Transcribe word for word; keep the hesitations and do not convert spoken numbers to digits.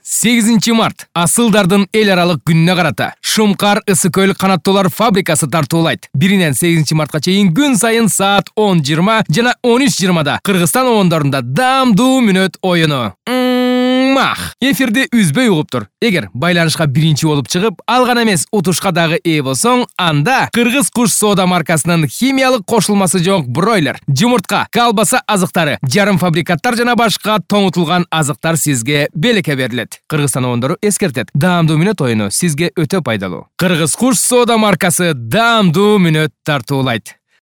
сегизинчи март асылдардын эл аралык күнүнө карата Шумкар ысык көл канаттуулар фабрикасы тартуулайт. биринен сегизинчи мартка чейин күн сайын саат он жыйырма жана он үч жыйырмада Кыргызстан обондорунда даамдуу мүнөт оюну. Мах. Эфирди үзбөй угуп тур. Эгер байланышка биринчи болуп чыгып, ал гана эмес, утушка дагы ээ болсоң, анда Кыргыз куш соода маркасынын химиялык кошулмасы жок бройлер, жумуртка, колбаса азыктары, жарым фабрикаттар жана башка тоңутулган азыктар сизге белекке берилет. Кыргызстан обондору эскертет. Даамдуу мүнөт оюну сизге өтө пайдалуу. Кыргыз куш соода маркасы даамдуу мүнөт тартуулайт.